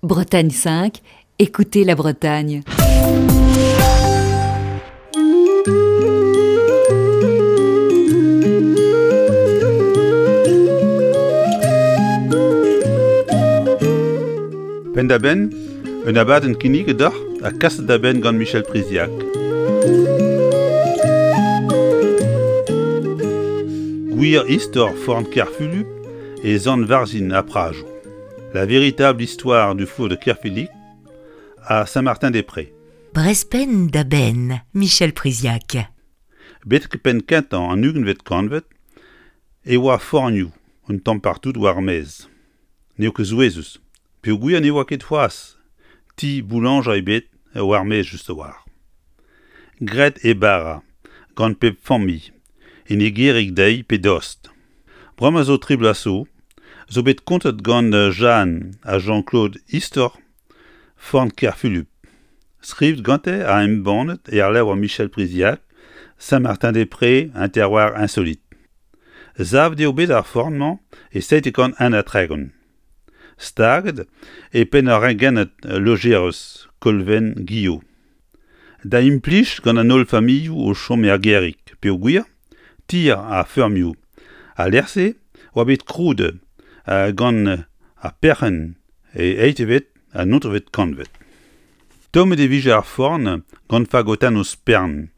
Bretagne 5, écoutez la Bretagne. Penn-da-benn, un abadenn kinniget deoc'h ha kaset da benn gant Michel Priziac. Gwir istor forn Kerfulup e Sant-Varzhin ha Prajoù. La véritable histoire du four de Kerfilic à Saint-Martin-des-Prés. Brezpenn da benn, Michel Priziac. Betek penn kentañ an ugentvet kantved e oa fornioù un tamm partout war ar maez. N'eo ket souezhus peogwir ne oa ket c'hoazh ti boulañjer ebet war maez just a-walc'h. Graet e bara gant pep familh en e gêrig dezhi pe dost. Bremañ zo tri bloaz zo, zo bet kontet gant Jeanne ha Jean-Claude istor forn Kerfulup. Skrivet gante ha embannet er levr Michel Priziac, Saint-Martin-des-Prés, un terroir insolite. Savet eo bet ar forn-mañ e 731. Staget e penn ur rengennad lojerez Kolven Guillot. Da implij gant an holl familhoù o chom er gêrig peogwir tier ha feurmioù al lec'h-se oa bet krouet gant ar perc'henn e eizhvet ha naontekvet kantved. Tommet e vije ar forn gant fagotennoù spern,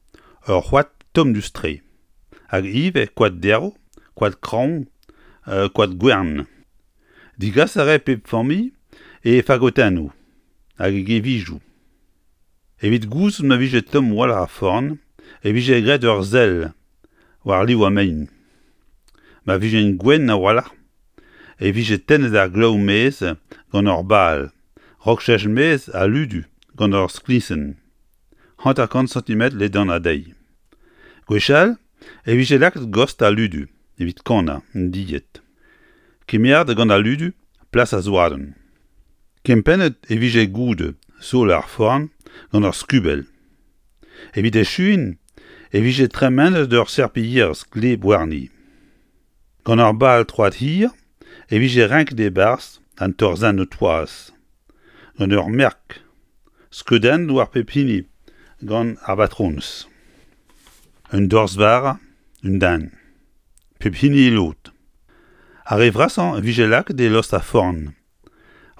ur c'hoad tomm-dous-tre, hag ivez koad derv, koad kraoñ, koad gwern. Degas a rae pep familh he fagotennoù hag e gevijoù. Evit gouzout ma vije tomm a-walc'h ar forn e vije graet ur sell war liv ar mein. Ma vijent gwenn a-walc'h e vije tennet ar glaou maez gant ur bal, 'raok cheñch maez ha ludu gant ur skliñsenn, 50 santimetr ledanañ dezhi. Gwechall e vije lakaet gost al ludu evit kannañ an dilhad. Kemeret gant al ludu plas ar zoadenn. Kempennet e vije goude sol ar forn gant ur skubell. Evit echuiñ e vije tremenet ur serpilherez gleb warni. Gant ur bal troad hir e vije renket e-barzh an torzhennoù toaz. Gant ur merk skeudennet war pep hini gant ar batronez. Un dorzh vara, un den. Pep hini e lod. Ar re vrasañ e vije lakaet e lost ar forn,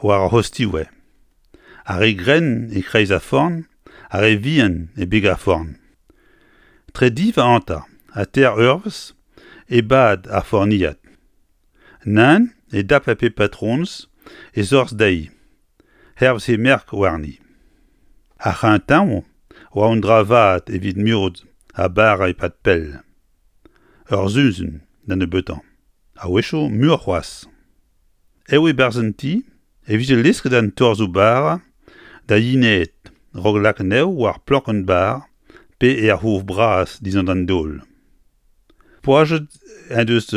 war ar c'hostiwe. Ar re grenn e-kreiz ar forn, ar re vihan e beg ar forn. Tre div ha hanter ha teir eurvezh e bad ar forniad. Nann e dape pep patronez e zorzh dezhi, hervez he merk warni. Ar c'hreñtañ oa un dra vat evit mirout ar bara e-pad pell. Ur sizhun da nebeutañ, a-wechoù muioc'h c'hoazh. Eo e-barzh an ti e vije lesket an torzhoù bara da yenaat 'raok lakaat anezho war plankenn-bar pe er c'houf bras dindan an daol. Poazhet en deus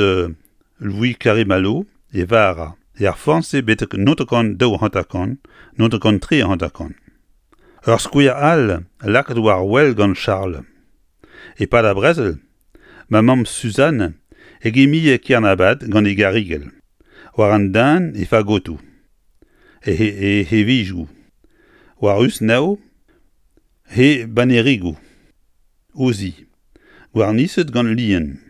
Louis Karimalo e vara er forn-se betek 1952, 1953. Ur skouer all lakaet war wel gant Charles. E-pad ar brezel, ma mamm Suzanne e gemie Kernabat gant e garigell, war an dan e fagotoù, e hevijoù, war usnev he bannerigoù, o zi, gwarniset gant lien.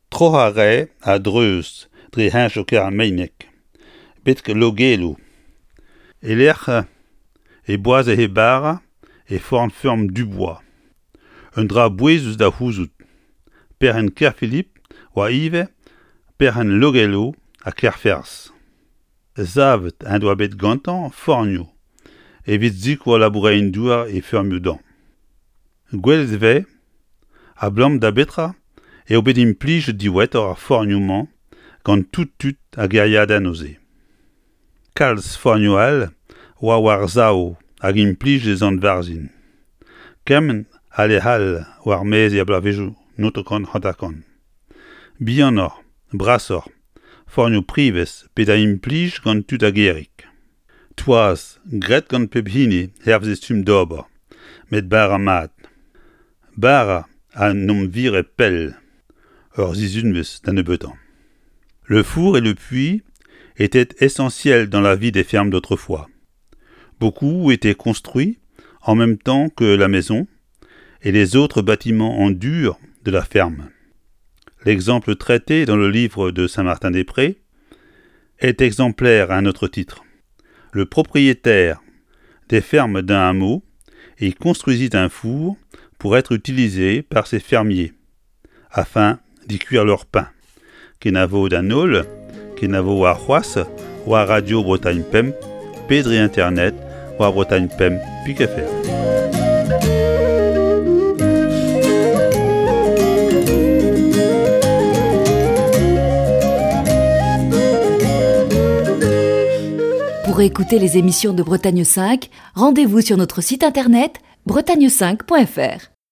Troc'hañ a rae a-dreuz dre heñchoù Kermeineg betek Logeloù, e-lec'h e boaze he bara e forn-feurm Dubois. Un dra bouezus da c'houzout, perc'henn Kerfilip oa ivez perc'henn Logello ha Kerferz. Savet en doa bet gantañ fornioù evit sikour labourerien-douar e feurmioù dañ. Gwelet e vez abalamour da betra eo bet implijet diwezhatoc'h ar fornioù-mañ gant tout tud ar gêriadennoù-se. Kalz fornioù all oa war-sav hag implijet e Sant-Varzhin, kement ha lec'h all war-maez er bloavezhioù 1950. Bihanoc'h, brasoc'h, fornioù privez pe da implij gant tud a gêrig. Toaz graet gant pep hini hervez e stumm d'ober, met bara mat. Bara a n'omp vire pell, ur sizhunvezh da nebeutañ. Le four et le puits étaient essentiels dans la vie des fermes d'autrefois. Beaucoup étaient construits en même temps que la maison et les autres bâtiments en dur de la ferme. L'exemple traité dans le livre de Saint-Martin-des-Prés est exemplaire à un autre titre. Le propriétaire des fermes d'un hameau y construisit un four pour être utilisé par ses fermiers afin d'y cuire leur pain. Kenavo d'an holl, kenavo warc'hoazh war Radio Bretagne Pemp pe dre internet war Bretagne Pemp pik fr. Pour écouter les émissions de Bretagne 5, rendez-vous sur notre site internet bretagne5.fr.